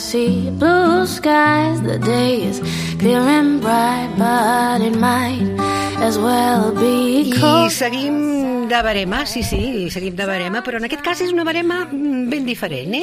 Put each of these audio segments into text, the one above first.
see blue skies. The day is clear and bright, but it might as well be cold. I seguim de barema, sí, seguim de barema, però en aquest cas és una barema ben diferent,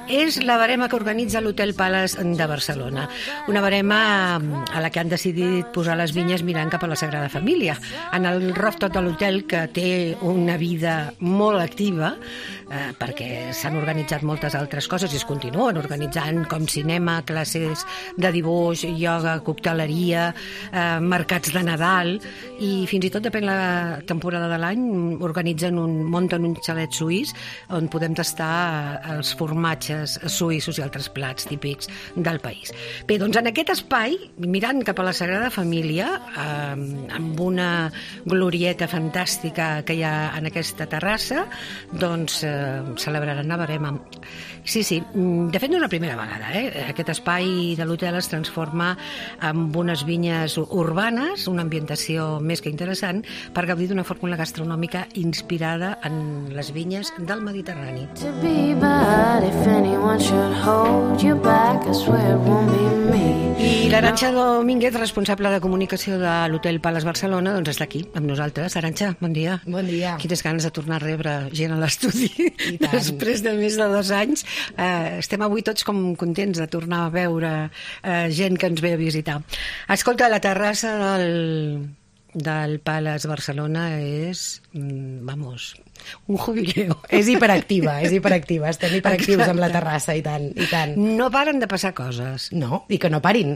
És la barema que organitza l'Hotel Palace de Barcelona. Una barema a la que han decidit posar les vinyes mirant cap a la Sagrada Família. En el rooftop de l'hotel, que té una vida molt activa, perquè s'han organitzat moltes altres coses i es continuen organitzant, com cinema, classes de dibuix, ioga, cocteleria, mercats de Nadal, i fins i tot, depèn la temporada de l'any, munten un xalet suís on podem tastar els formatges suïssos i altres plats típics del país. Bé, doncs en aquest espai, mirant cap a la Sagrada Família, amb una glorieta fantàstica que hi ha en aquesta terrassa, doncs celebraran la barema. Sí, de fet no és la primera vegada, Aquest espai de l'hotel es transforma en unes vinyes urbanes, una ambientació més que interessant, per gaudir d'una fórmula gastronòmica inspirada en les vinyes del Mediterrani. I l'Arantxa Domínguez, responsable de comunicació de l'Hotel Palace Barcelona, doncs està aquí amb nosaltres. Arantxa, bon dia. Bon dia. Quines ganes de tornar a rebre gent a l'estudi després de més de 2 anys. Estem avui tots com contents de tornar a veure gent que ens ve a visitar. Escolta, la terrassa del Palace Barcelona és, un jubileu. És hiperactiva, estem hiperactius amb la terrassa, i tant. No paren de passar coses. No, i que no parin.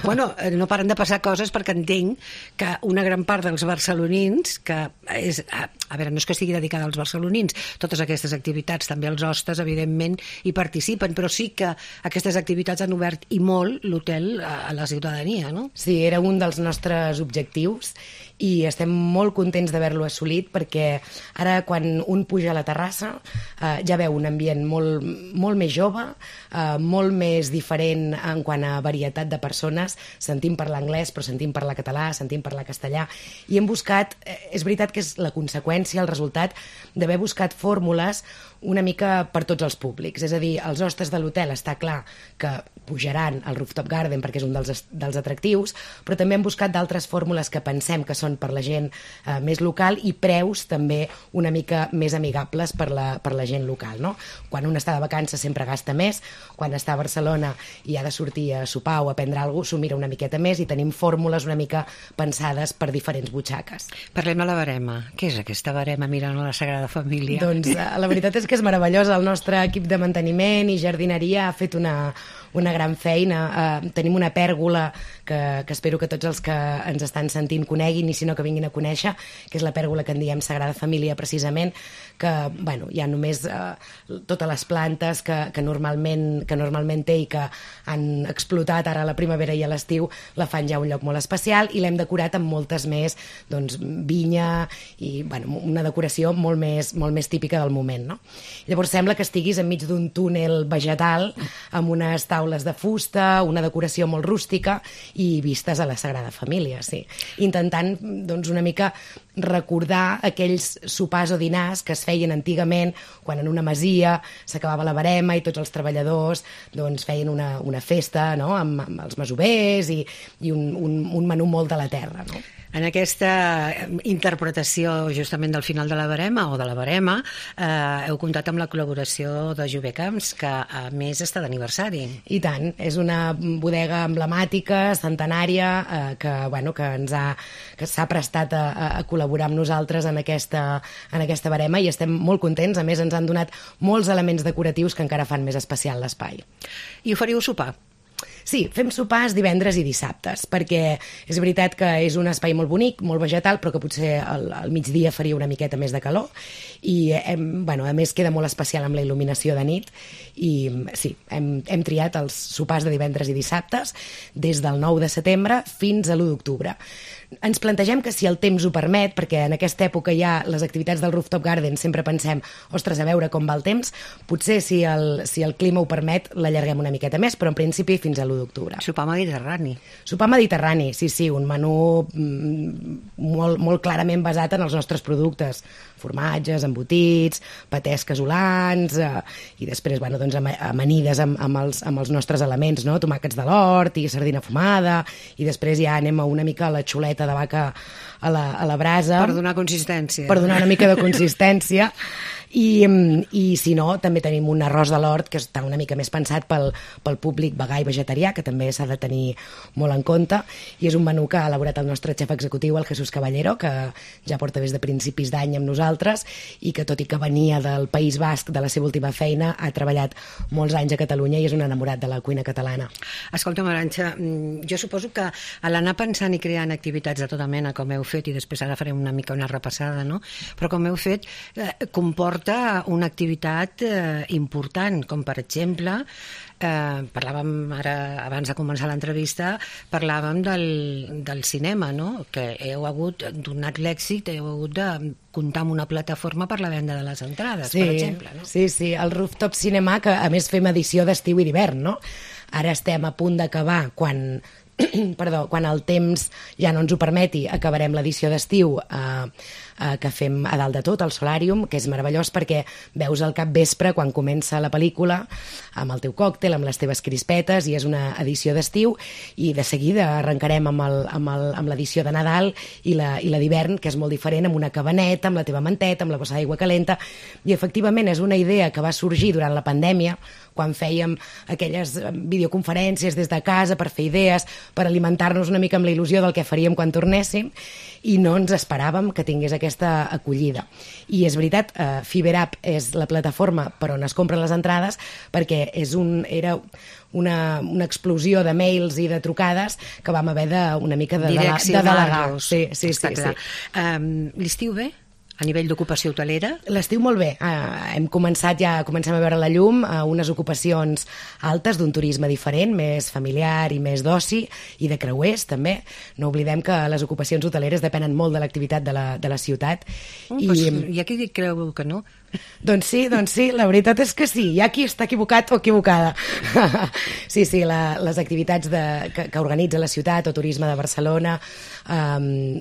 Bueno, no paren de passar coses perquè entenc que una gran part dels barcelonins, que és, a veure, no és que estigui dedicada als barcelonins, totes aquestes activitats, també els hostes, evidentment, hi participen, però sí que aquestes activitats han obert i molt l'hotel a la ciutadania, no? Sí, era un dels nostres objectius i estem molt contents d'haver-lo assolit, perquè ara quan un puja a la terrassa ja veu un ambient molt més jove, molt més diferent en quant a varietat de persones. Sentim parlar anglès, però sentim parlar català, sentim parlar castellà, i hem buscat, és veritat que és la conseqüència, el resultat d'haver buscat fórmules una mica per tots els públics. És a dir, els hostes de l'hotel està clar que pujaran al Rooftop Garden perquè és un dels atractius, però també hem buscat d'altres fórmules que pensem que són per la gent més local, i preus també una mica més amigables per la gent local, no? Quan un està de vacances sempre gasta més, quan està a Barcelona i ha de sortir a sopar o a prendre alguna cosa, s'ho mira una miqueta més, i tenim fórmules una mica pensades per diferents butxaques. Parlem de la barema. Què és aquesta barema mirant a la Sagrada Família? Doncs la veritat és que és meravellosa. El nostre equip de manteniment i jardineria ha fet una gran feina. Tenim una pèrgola que espero que tots els que ens estan sentint coneguin, i si no que vinguin a conèixer, que és la pèrgola que en diem Sagrada Família, precisament, que hi ha només totes les plantes que normalment té i que han explotat ara a la primavera i a l'estiu, la fan ja un lloc molt especial, i l'hem decorat amb moltes més, doncs, vinya i una decoració molt més típica del moment, no? Llavors sembla que estiguis enmig d'un túnel vegetal amb unes taules de fusta, una decoració molt rústica i vistes a la Sagrada Família, sí. Intentant, doncs, una mica recordar aquells sopars o dinars que es feien antigament quan en una masia s'acabava la barema i tots els treballadors doncs feien una festa, no?, amb els masovers i un menú molt de la terra, no? En aquesta interpretació justament del final de la barema o de la barema heu comptat amb la col·laboració de Jové Camps, que a més està d'aniversari. I tant, és una bodega emblemàtica, centenària, que s'ha prestat a col·laborar amb nosaltres en aquesta barema, i estem molt contents. A més, ens han donat molts elements decoratius que encara fan més especial l'espai. I oferiu sopar? Sí, fem sopars divendres i dissabtes, perquè és veritat que és un espai molt bonic, molt vegetal, però que potser al migdia faria una miqueta més de calor, i a més queda molt especial amb la il·luminació de nit, i sí, hem triat els sopars de divendres i dissabtes des del 9 de setembre fins a l'1 d'octubre. Ens plantegem que si el temps ho permet, perquè en aquesta època ja les activitats del Rooftop Garden sempre pensem, ostres, a veure com va el temps, potser si el clima ho permet l'allarguem una miqueta més, però en principi fins a l'1 l'1 d'octubre. Sopar mediterrani. Sopar mediterrani, sí, un menú molt clarament basat en els nostres productes, formatges, embotits, patès casolans, i després, doncs, amanides amb els nostres elements, no? Tomàquets de l'hort i sardina fumada, i després ja anem una mica a la xuleta de vaca a la brasa. Per donar consistència. Per donar una mica de consistència. I si no, també tenim un arròs de l'hort que està una mica més pensat pel públic vegà i vegetarià, que també s'ha de tenir molt en compte, i és un menú que ha elaborat el nostre xef executiu, el Jesús Caballero, que ja porta des de principis d'any amb nosaltres, i que tot i que venia del País Basc, de la seva última feina, ha treballat molts anys a Catalunya i és un enamorat de la cuina catalana. Escolta, Arantxa, jo suposo que a l'anar pensant i creant activitats de tota mena, com heu fet, i després ara farem una mica una repassada, no? Però com heu fet, comporta una activitat important, com per exemple, parlàvem ara, abans de començar l'entrevista, parlàvem del cinema, no? Que heu hagut, donat l'èxit, heu hagut de comptar amb una plataforma per la venda de les entrades, per exemple, no? Sí, el Rooftop Cinema, que a més fem edició d'estiu i d'hivern, no? Ara estem a punt d'acabar, quan el temps ja no ens ho permeti, acabarem l'edició d'estiu que fem a dalt de tot, al Solàrium, que és meravellós perquè veus al capvespre quan comença la pel·lícula amb el teu còctel, amb les teves crispetes, i és una edició d'estiu, i de seguida arrencarem amb l'edició de Nadal i la d'hivern, que és molt diferent, amb una cabaneta, amb la teva manteta, amb la bossa d'aigua calenta, i efectivament és una idea que va sorgir durant la pandèmia, quan fèiem aquelles videoconferències des de casa per fer idees, per alimentar-nos una mica amb la il·lusió del que faríem quan tornéssim, i no ens esperàvem que tingués aquesta acollida. I és veritat, FiberApp és la plataforma per on es compren les entrades, perquè era una explosió de mails i de trucades que vam haver una mica de delegar. Sí. L'estiu bé? A nivell d'ocupació hotelera? L'estiu molt bé. Comencem a veure la llum, unes ocupacions altes d'un turisme diferent, més familiar i més d'oci, i de creuers també. No oblidem que les ocupacions hoteleres depenen molt de l'activitat de la ciutat. Hi ha qui creu que no. Doncs sí, la veritat és que sí. Hi ha qui està equivocat o equivocada. Sí, les activitats que organitza la ciutat o Turisme de Barcelona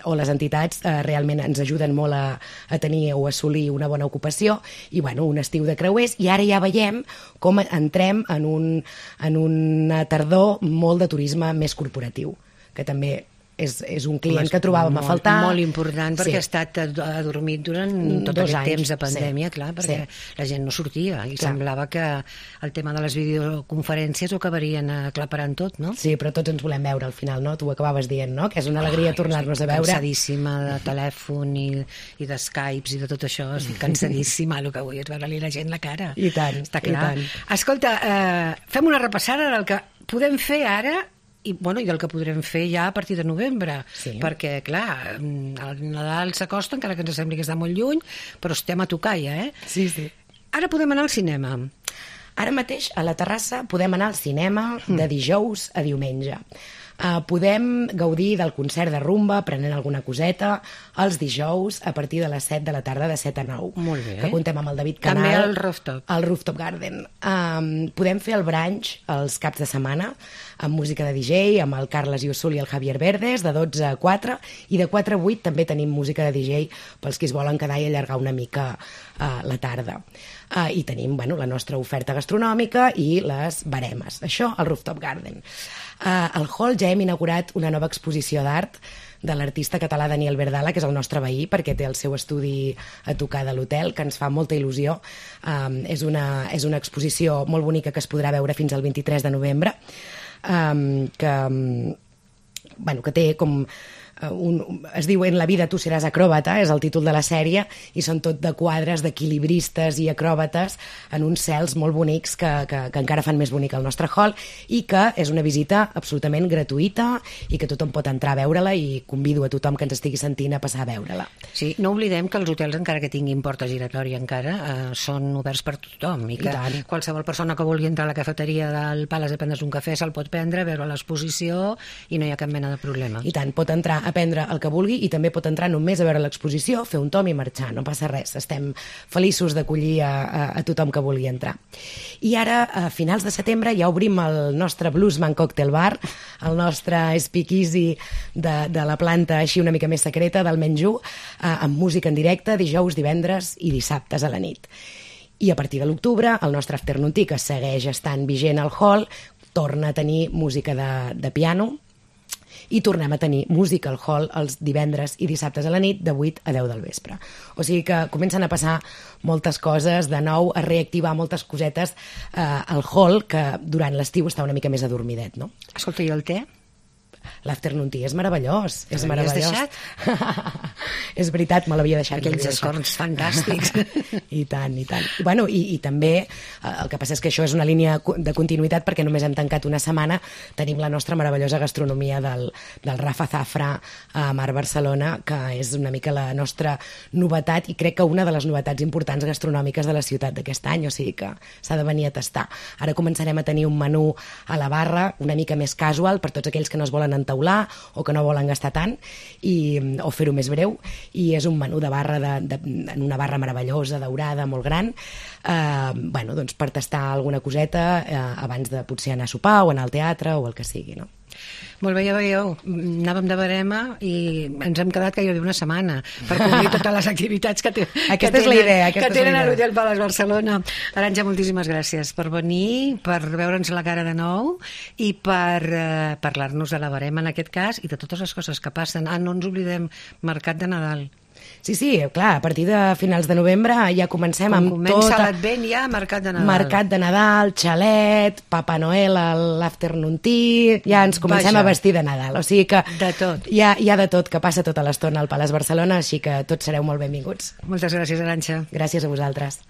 o les entitats realment ens ajuden molt a tenir o assolir una bona ocupació, i un estiu de creuers, i ara ja veiem com entrem en una tardor molt de turisme més corporatiu, que també és un client que trobàvem a faltar. Molt important, perquè ha estat adormit durant tot aquest temps de pandèmia, clar, perquè la gent no sortia, i semblava que el tema de les videoconferències ho acabarien aclaparant tot, no? Sí, però tots ens volem veure al final, no? Tu ho acabaves dient, no? Que és una alegria tornar-nos a veure. Cansadíssima de telèfon i de Skypes i de tot això, estic cansadíssima, el que vull és veure-li la gent la cara. I tant, està clar. I tant. Escolta, fem una repassada del que podem fer ara i del que podrem fer ja a partir de novembre, perquè, clar, el Nadal s'acosta, encara que ens sembli que està molt lluny, però estem a tocar ja, Sí. Ara podem anar al cinema. Ara mateix, a la terrassa, podem anar al cinema de dijous a diumenge. Podem gaudir del concert de rumba prenent alguna coseta els dijous a partir de les 7 de la tarda, de 7 a 9. Molt bé. Que contem amb el David Canal. També al Rooftop. Al Rooftop Garden. Podem fer el brunch els caps de setmana amb música de DJ, amb el Carles Iusul i el Javier Verdes, de 12 a 4, i de 4 a 8 també tenim música de DJ pels que es volen quedar i allargar una mica la tarda. I tenim la nostra oferta gastronòmica i les baremes. Això al Rooftop Garden. Al hall ja hem inaugurat una nova exposició d'art de l'artista català Daniel Verdala, que és el nostre veí, perquè té el seu estudi a tocar de l'hotel, que ens fa molta il·lusió. És una exposició molt bonica que es podrà veure fins al 23 de novembre, que té com... es diu En la vida tu seràs acròbata, és el títol de la sèrie, i són tot de quadres d'equilibristes i acròbates en uns cels molt bonics que encara fan més bonic el nostre hall, i que és una visita absolutament gratuïta i que tothom pot entrar a veure-la, i convido a tothom que ens estigui sentint a passar a veure-la. Sí, no oblidem que els hotels, encara que tinguin porta giratòria encara, són oberts per tothom, i que qualsevol persona que vulgui entrar a la cafeteria del Palace a prendre's un cafè se'l pot prendre, veure l'exposició, i no hi ha cap mena de problema. I tant, pot entrar a prendre el que vulgui i també pot entrar només a veure l'exposició, fer un tom i marxar, no passa res, estem feliços d'acollir a tothom que vulgui entrar. I ara, a finals de setembre, ja obrim el nostre Bluesman Cocktail Bar, el nostre speakeasy de la planta així una mica més secreta del Menjú, amb música en directe dijous, divendres i dissabtes a la nit. I a partir de l'octubre, el nostre Afternoon Tea, que segueix estant vigent al hall, torna a tenir música de piano i tornem a tenir música al hall els divendres i dissabtes a la nit de 8 a 10 del vespre. O sigui que comencen a passar moltes coses, de nou a reactivar moltes cosetes al hall, que durant l'estiu està una mica més adormidet, no? Escolta, i el te? L'Afternoon Tea és meravellós. És meravellós. Deixat? És veritat, me l'havia deixat. Aquells escorns fantàstics. I tant, i tant. Bueno, i també, el que passa és que això és una línia de continuïtat perquè només hem tancat una setmana, tenim la nostra meravellosa gastronomia del Rafa Zafra a Mar Barcelona, que és una mica la nostra novetat i crec que una de les novetats importants gastronòmiques de la ciutat d'aquest any, o sigui que s'ha de venir a tastar. Ara començarem a tenir un menú a la barra una mica més casual per tots aquells que no es volen entaular o que no volen gastar tant o fer-ho més breu, i és un menú de barra en una barra meravellosa, daurada, molt gran, bueno, doncs per tastar alguna coseta abans de potser anar a sopar o anar al teatre o el que sigui, no? Molt bé, ja veieu, anàvem de barema i ens hem quedat gairebé una setmana per cobrir totes les activitats que tenen a l'Hotel Palace Barcelona. Arantxa, moltíssimes gràcies per venir, per veure'ns la cara de nou i per parlar-nos de la barema en aquest cas i de totes les coses que passen. No ens oblidem, Mercat de Nadal. Sí, clar, a partir de finals de novembre ja comencem amb tot... Comença l'Advent ja, Mercat de Nadal. Mercat de Nadal, xalet, Papa Noel, l'Afternoon Tea... Ja ens comencem a vestir de Nadal. O sigui que de tot. Hi ha de tot que passa tota l'estona al Palace Barcelona, així que tots sereu molt benvinguts. Moltes gràcies, Arantxa. Gràcies a vosaltres.